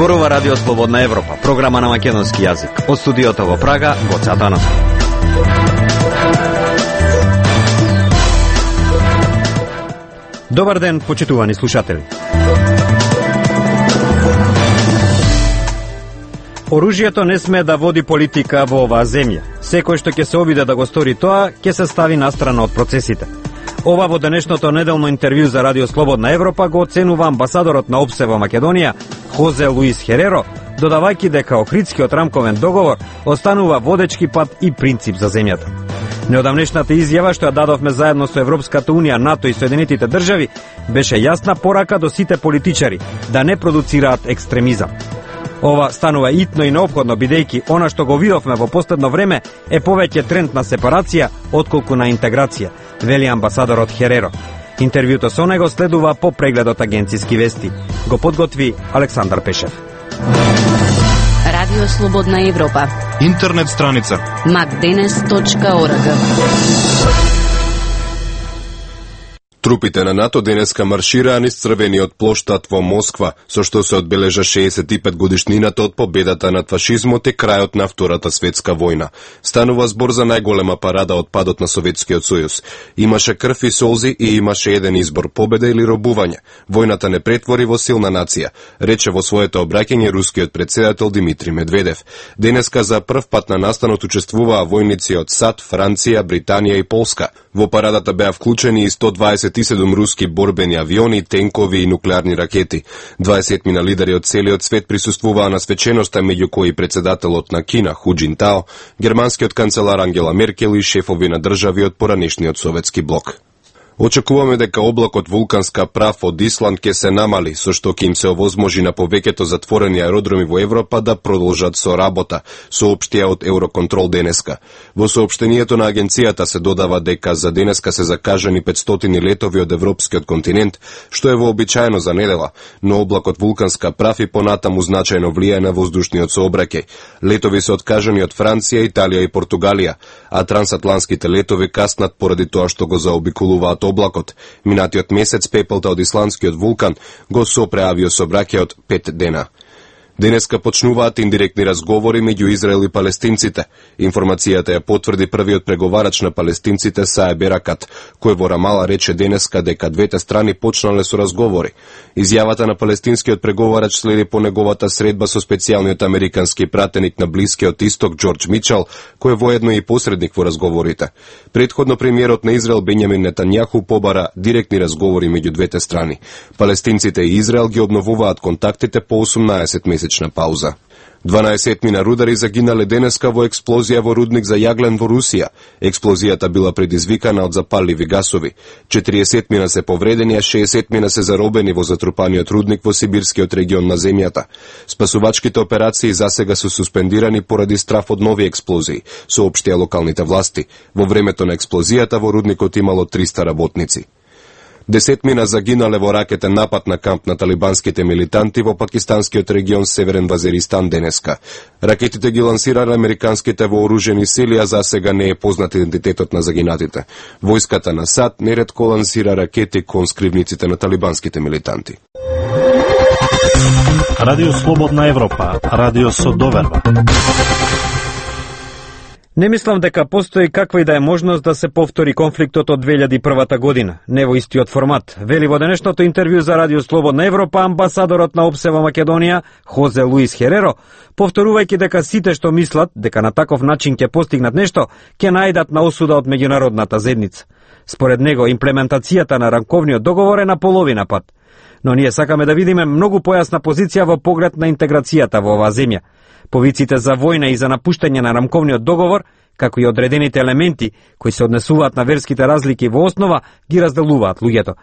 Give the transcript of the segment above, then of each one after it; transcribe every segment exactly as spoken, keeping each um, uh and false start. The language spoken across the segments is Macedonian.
Зборува Радио Слободна Европа, програма на македонски јазик. Од студиото во Прага, Гоце Атанасов. Добар ден, почитувани слушатели. Оружјето не сме да води политика во оваа земја. Секој што ќе се обиде да го стори тоа, ќе се стави настрана од процесите. Ова во денешното неделно интервју за Радио Слободна Европа го оценува амбасадорот на ОПСЕ во Македонија, Хозе Луис Хереро, додавајќи дека Охридскиот рамковен договор останува водечки пат и принцип за земјата. Неодамнешната изјава што ја дадовме заедно со Европската унија, НАТО и Соединетите држави беше јасна порака до сите политичари да не продуцираат екстремизам. Ова станува итно и неопходно, бидејќи она што го видовме во последно време е повеќе тренд на сепарација отколку на интеграција, вели амбасадорот Хереро. Интервјуто со него следува по прегледот агенциски вести. Го подготви Александар Пешев. Радио Слободна Европа. Интернет страница макденес точка орг. Трупите на НАТО денеска маршираа низ црвениот плоштад во Москва, со што се одбележа шеесет и пет годишнината од победата над фашизмот и крајот на Втората светска војна. Станува збор за најголема парада од падот на Советскиот сојуз. Имаше крв и солзи и имаше еден избор: победа или робување. Војната не претвори во силна нација, рече во своето обраќање рускиот претседател Димитри Медведев. Денеска за прв пат на настанот учествуваа војници од САД, Франција, Британија и Полска. Во парадата беа вклучени и сто дваесет и седум руски борбени авиони, тенкови и нуклеарни ракети. дваесет мина лидери од целиот свет присуствуваа на свеченоста, меѓу кои председателот на Кина Ху Џинтао, германскиот канцелар Ангела Меркел и шефови на држави од поранешниот советски блок. Очекуваме дека облакот вулканска прав од Исланд ќе се намали, со што ќе им се овозможи на повеќето затворени аеродроми во Европа да продолжат со работа, соопштија од Евроконтрол денеска. Во соопштението на агенцијата се додава дека за денеска се закажани петстотини летови од европскиот континент, што е вообичаено за недела, но облакот вулканска прав и понатаму значајно влијае на воздушниот сообраќај. Летови се откажани од Франција, Италија и Португалија, а трансатлантските летови каснат поради тоа што го заобиколуваат облакот. Минатиот месец пепелта од исландскиот вулкан го сопре авиосообраќајот пет дена. Денеска почнуваат индиректни разговори меѓу Израел и палестинците. Информацијата ја потврди првиот преговарач на палестинците Саеб Еракат, кој во Рамала рече денеска дека двете страни почнале со разговори. Изјавата на палестинскиот преговарач следи по неговата средба со специјалниот американски пратеник на Блискиот Исток Џорџ Мичел, кој е воедно и посредник во разговорите. Предходно премиерот на Израел Бенјамин Нетањаху побара директни разговори меѓу двете страни. Палестинците и Израел ги обновуваат контактите по осумнаесет месеци на пауза. дванаесет мина рудари загинале денеска во експлозија во рудник за јаглен во Русија. Експлозијата била предизвикана од запалливи гасови. четириесет мина се повредени, а шеесет мина се заробени во затрупаниот рудник во сибирскиот регион на земјата. Спасувачките операции засега се суспендирани поради страф од нови експлозии, соопштија локалните власти. Во времето на експлозијата во рудникот имало триста работници. Десет мина загинале во ракетен напад на камп на талибанските милитанти во пакистанскиот регион Северен Вазиристан денеска. Ракетите ги лансирале американските вооружени сили, а за сега не е познат идентитетот на загинатите. Војската на САД неретко лансира ракети кон скривниците на талибанските милитанти. Радио Слободна Европа, радио со доверба. Не мислам дека постои каква и да е можност да се повтори конфликтот од две илјади и прва година, не во истиот формат, вели во денешното интервју за Радио Слободна Европа амбасадорот на ОПСЕ во Македонија, Хозе Луис Хереро, повторувајќи дека сите што мислат дека на таков начин ќе постигнат нешто, ќе најдат на осуда од меѓународната заедница. Според него, имплементацијата на рамковниот договор е на половина пат. Но ние сакаме да видиме многу појасна позиција во поглед на интеграцијата во оваа земја. Повиците за војна и за напуштање на рамковниот договор, како и одредените елементи кои се однесуваат на верските разлики во основа, ги разделуваат луѓето.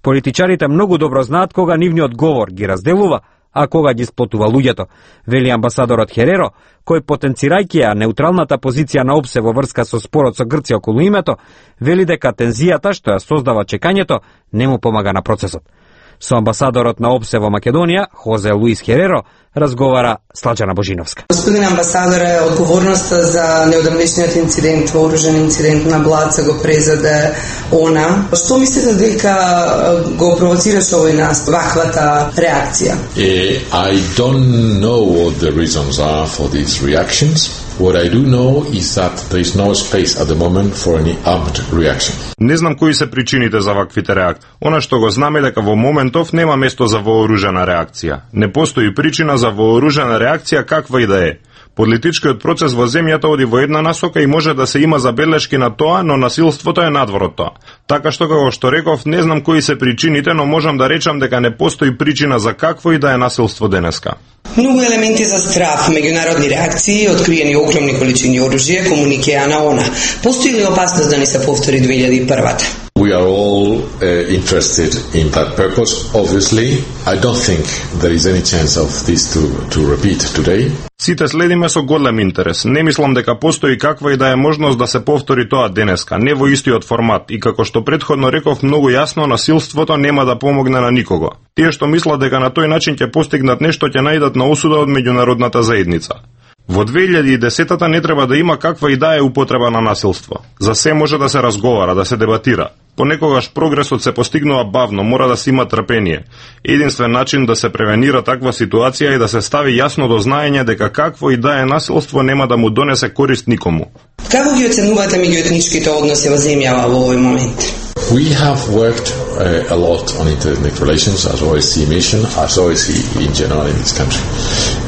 Политичарите многу добро знаат кога нивниот говор ги разделува, а кога ги сплотува луѓето, вели амбасадорот Хереро, кој потенцирајќи ја неутралната позиција на ОПСЕ во врска со спорот со Грција околу името, вели дека тензијата што ја создава чекањето не му помага на процесот. Со амбасадорот на ОПСЕ во Македонија, Хозе Луис Хереро, разговара Слаđana Божиновска. Господин амбасадоре, одговорноста за неодамнешниот инцидент, вооружен инцидент на Блаца го презаде она. Што мислите дека го провоцираше овој нас ваквата реакција? I don't know what the reasons are for these reactions. What I do know is that there is no space at the moment for any armed reaction. Не знам кои се причините за ваквите реакции. Она што го знаме дека во моментов нема место за вооружена реакција. Не постои причина за вооружена реакција каква и да е. Политичкиот процес во земјата оди во една насока и може да се има забелешки на тоа, но насилството е надвор тоа. Така што како што реков, не знам кои се причините, но можам да речам дека не постои причина за какво и да е насилство денеска. Многу елементи за страв, меѓународни реакции, откриени огромни количини оружје, комуникеа на она. Постои ли опасност да ни се повтори две илјади и прва? We are all uh, interested in that purpose. Obviously, I don't think there is any chance of this to, to repeat today. Сите следиме со голем интерес. Не мислам дека постои каква и да е можност да се повтори тоа денеска, не во истиот формат, и како што претходно реков многу јасно, насилството нема да помогне на никого. Тие што мислат дека на тој начин ќе постигнат нешто ќе најдат на осуда од меѓународната заедница. Во две илјади и десета не треба да има каква и да е употреба на насилство. За се може да се разговара, да се дебатира. Понекогаш прогресот се постигнува бавно, мора да се има трпение. Единствен начин да се превенира таква ситуација е да се стави јасно до знаење дека какво и да е насилство нема да му донесе корист никому. Како ги оценувате меѓуетничките односи во земјава во овој момент? We have worked uh, a lot on interethnic relations as O S C E mission, as O S C E in general in this country.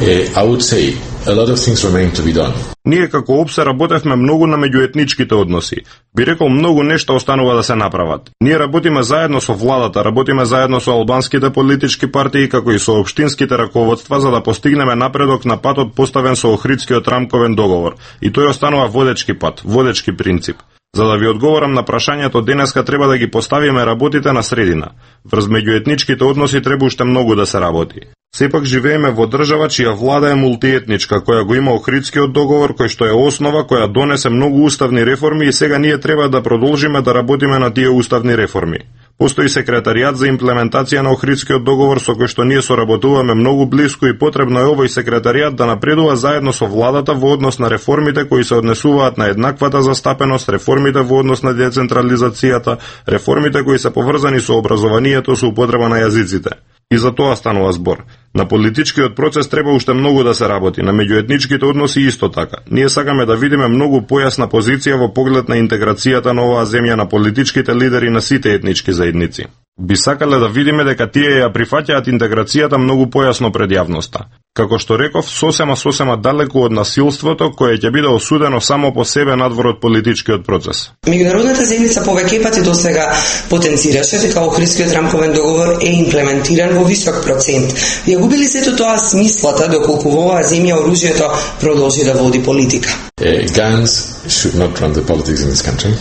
Uh, I would say a lot of things remain to be done. Ние како ОПСЕ работевме многу на меѓуетничките односи. Би рекол многу нешто останува да се направат. Ние работиме заедно со владата, работиме заедно со албанските политички партии како и со општинските раководства за да постигнеме напредок на патот поставен со Охридскиот рамковен договор. И тој останува водечки пат, водечки принцип. За да ви одговорам на прашањето денеска треба да ги поставиме работите на средина. Врз меѓуетничките односи треба уште многу да се работи. Сепак живееме во држава чија влада е мултиетничка, која го има Охридскиот договор, кој што е основа, која донесе многу уставни реформи и сега ние треба да продолжиме да работиме на тие уставни реформи. Постои секретаријат за имплементација на Охридскиот договор со кој што ние соработуваме многу блиску и потребно е овој секретаријат да напредува заедно со владата во однос на реформите кои се однесуваат на еднаквата застапеност, реформите во однос на децентрализацијата, реформите кои се поврзани со образованието, со употреба на јазиците. И за тоа станува збор. На политичкиот процес треба уште многу да се работи, на меѓуетничките односи исто така. Ние сакаме да видиме многу појасна позиција во поглед на интеграцијата на оваа земја на политичките лидери на сите етнички заедници. Би сакале да видиме дека тие ја прифаќаат интеграцијата многу појасно пред јавноста. Како што реков, сосема сосема далеку од насилството кое ќе биде осудено само по себе надвор од политичкиот процес. Меѓународната заедница повеќе пати досега потенцираше дека Охридскиот рамковен договор е имплементиран во висок процент. Ја губи ли сето тоа смислата доколку во оваа земја оружјето продолжи да води политика? Uh, guns should not run the politics in this country.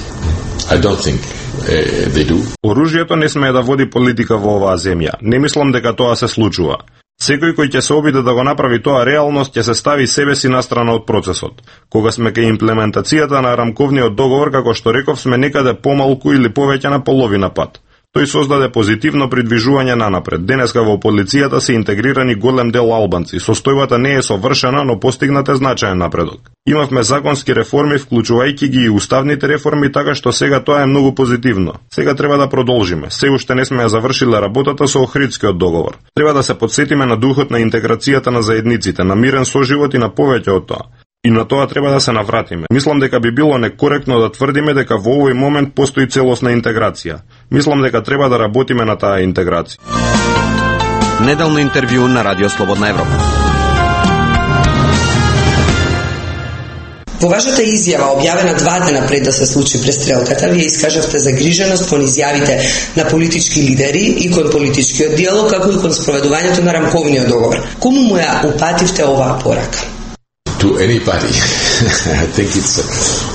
I don't think uh, they do. Оружјето не смее да води политика во оваа земја. Не мислам дека тоа се случува. Секој кој ќе се обиде да го направи тоа реалност ќе се стави себе си настрана од процесот. Кога сме кај имплементацијата на рамковниот договор, како што реков, сме некаде помалку или повеќе на половина пат. Тој создаде позитивно придвижување нанапред. Денеска во полицијата се интегрирани голем дел албанци. Состојбата не е совршена, но постигнат е значаен напредок. Имавме законски реформи, вклучувајќи ги и уставните реформи, така што сега тоа е многу позитивно. Сега треба да продолжиме. Се уште не сме ја завршиле работата со Охридскиот договор. Треба да се потсетиме на духот на интеграцијата на заедниците, на мирен соживот и на повеќе од тоа. И на тоа треба да се навратиме. Мислам дека би било некоректно да тврдиме дека во овој момент постои целосна интеграција. Мислам дека треба да работиме на таа интеграција. Неделно интервју на Радио Слободна Европа. Во вашата изјава, објавена два дена пред да се случи престрелката, вие искажавте загриженост кон изјавите на политички лидери и кон политичкиот диалог, како и кон спроведувањето на рамковниот договор. Кому му ја упативте оваа порака? To anybody. I think it's uh,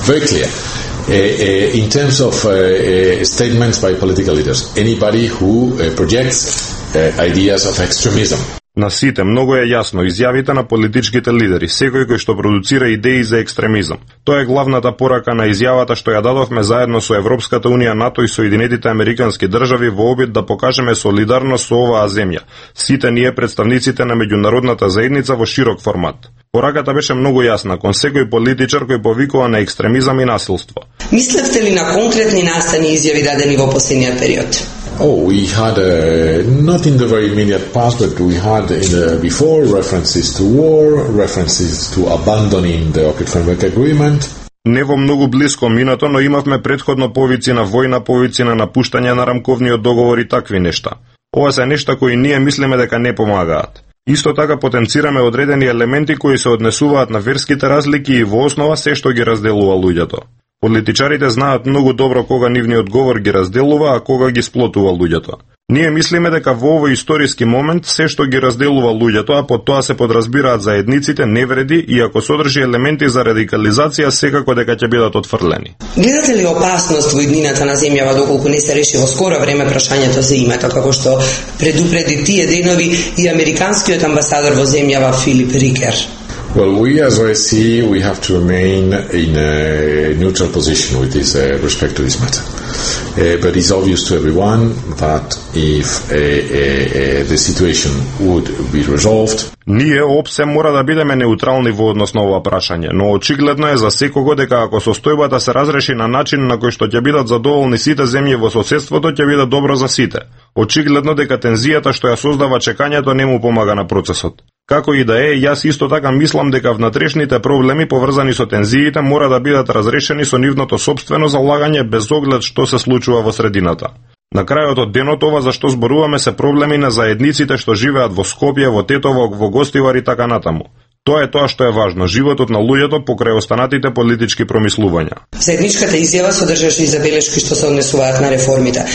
very clear. Uh, uh, in terms of uh, uh, statements by political leaders, anybody who uh, projects uh, ideas of extremism. На сите многу е јасно изјавите на политичките лидери, секој кој што продуцира идеи за екстремизам. Тоа е главната порака на изјавата што ја дадовме заедно со Европската унија, НАТО и Соединетите Американски држави во обид да покажеме солидарност со оваа земја. Сите ние представниците на меѓународната заедница во широк формат. Пораката беше многу јасна кон секој политичар кој повикува на екстремизам и насилство. Мислевте ли на конкретни настани изјави дадени во последниот период? Oh, we had, uh, not in the very immediate past, but we had in the before references to war, references to abandoning the Ohrid Framework Agreement. Не во многу блиско минато, но имавме предходно повици на војна, повици на напуштање на рамковниот договор и такви нешта. Ова се нешта кои ние мислиме дека не помагаат. Исто така потенцираме одредени елементи кои се однесуваат на верските разлики и во основа се што ги разделува луѓето. Политичарите знаат многу добро кога нивниот говор ги разделува, а кога ги сплотува луѓето. Ние мислиме дека во овој историски момент се што ги разделува луѓето, а под тоа се подразбираат заедниците, не вреди и ако содржи елементи за радикализација, секако дека ќе бидат отфрлени. Гледате ли опасност во иднината на земјава доколку не се реши во скоро време прашањето за името, како што предупреди тие денови и американскиот амбасадор во земјава Филип Рикер? Well, we as O S C, we have to remain in a neutral position with this uh, respect to this matter. Uh, but it's obvious to everyone that if uh, uh, uh, the situation would be resolved, ние опсе мора да бидеме неутрални во однос на ова прашање, но очигледно е за секого дека ако состојбата се разреши на начин на кој што ќе бидат задоволни сите земји во соседството, ќе биде добро за сите. Очигледно дека тензијата што ја создава чекањето не му помага на процесот. Како и да е, јас исто така мислам дека внатрешните проблеми поврзани со тензиите мора да бидат разрешени со нивното собствено залагање без оглед што се случува во средината. На крајот од денот ова за што зборуваме се проблеми на заедниците што живеат во Скопје, во Тетово, во Гостивар и така натаму. Тоа е тоа што е важно, животот на луѓето покрај останатите политички промислувања. Заедничката изјава содржаше и забелешки што се однесуваат на реформите.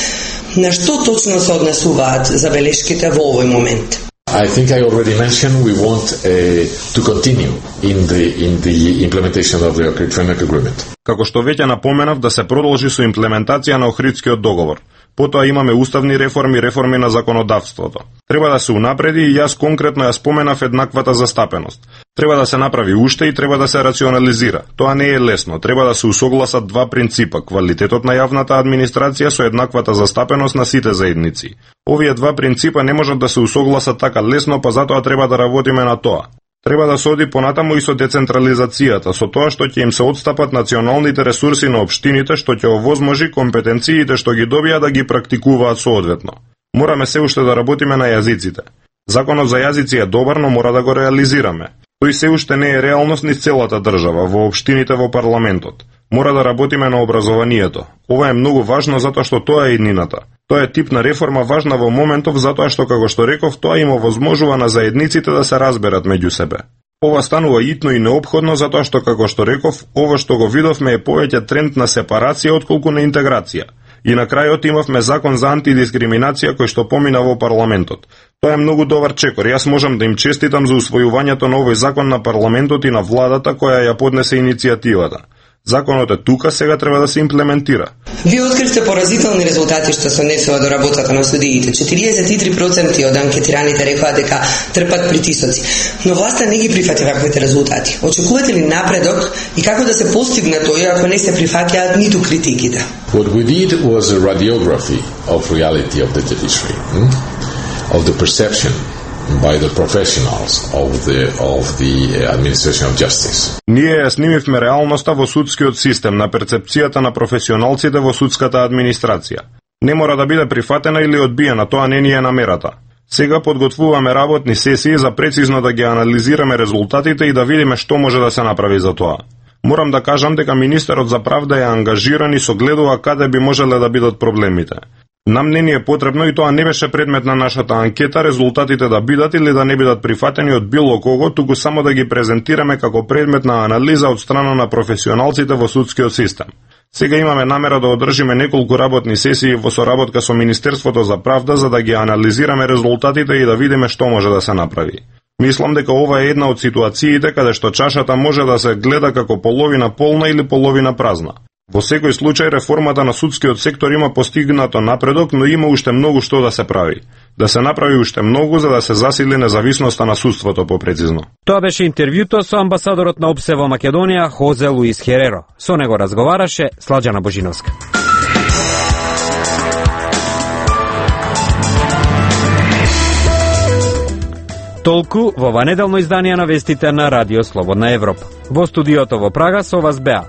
На што точно се однесуваат забелешките во овој момент? I think I already mentioned we want uh, to continue in the in the implementation of the Ohrid Framework Agreement. Како што веќе напоменав, да се продолжи со имплементација на Охридскиот договор. Потоа имаме уставни реформи, реформи на законодавството. Треба да се унапреди и јас конкретно ја споменав еднаквата застапеност. Треба да се направи уште и треба да се рационализира. Тоа не е лесно. Треба да се усогласат два принципа: квалитетот на јавната администрација со еднаквата застапеност на сите заедници. Овие два принципа не можат да се усогласат така лесно, па затоа треба да работиме на тоа. Треба да се оди понатаму и со децентрализацијата, со тоа што ќе им се отстапат националните ресурси на општините, што ќе овозможи компетенциите што ги добија да ги практикуваат соодветно. Мораме се уште да работиме на јазиците. Законот за јазици е добар, но мора да го реализираме. Тој се уште не е реалност низ целата држава, во општините, во парламентот. Мора да работиме на образованието. Ова е многу важно затоа што тоа е иднината. Тоа е тип на реформа важна во моментов затоа што, како што реков, тоа им овозможува на заедниците да се разберат меѓу себе. Ова станува итно и неопходно затоа што, како што реков, ова што го видовме е повеќе тренд на сепарација отколку на интеграција. И на крајот имавме закон за антидискриминација кој што помина во парламентот. Тоа е многу добар чекор. Јас можам да им честитам за усвојувањето на овој закон на парламентот и на владата која ја поднесе иницијативата. Законот е тука, сега треба да се имплементира. Вие откривте поразителни резултати што се однесува до работата на судиите. четириесет и три проценти од анкетираните рекоа дека трпат притисоци, но власта не ги прифати ваквите резултати. Очекувате ли напредок и како да се постигне тоа ако не се прифаќаат ниту критиките? What we did was a radiography of reality of the judiciary, hmm? of the perception by the professionals of the of the administration of justice. Ние ја снимивме реалноста во судскиот систем на перцепцијата на професионалците во судската администрација. Не мора да биде прифатена или одбиена, тоа не ни е намерата. Сега подготвуваме работни сесии за прецизно да ги анализираме резултатите и да видиме што може да се направи за тоа. Морам да кажам дека министерот за правда е ангажиран и согледува каде би можеле да бидат проблемите. Нам не ни е потребно и тоа не беше предмет на нашата анкета резултатите да бидат или да не бидат прифатени од било кого, туку само да ги презентираме како предмет на анализа од страна на професионалците во судскиот систем. Сега имаме намера да одржиме неколку работни сесии во соработка со Министерството за правда за да ги анализираме резултатите и да видиме што може да се направи. Мислам дека ова е една од ситуациите каде што чашата може да се гледа како половина полна или половина празна. Во секој случај реформата на судскиот сектор има постигнато напредок, но има уште многу што да се прави. Да се направи уште многу за да се засили независноста на судството попрецизно. Тоа беше интервјуто со амбасадорот на ОПСЕ во Македонија Хозе Луис Хереро. Со него разговараше Сладжана Божиновска. Толку во ова неделно издание на вестите на Радио Слободна Европа. Во студиото во Прага со вас беа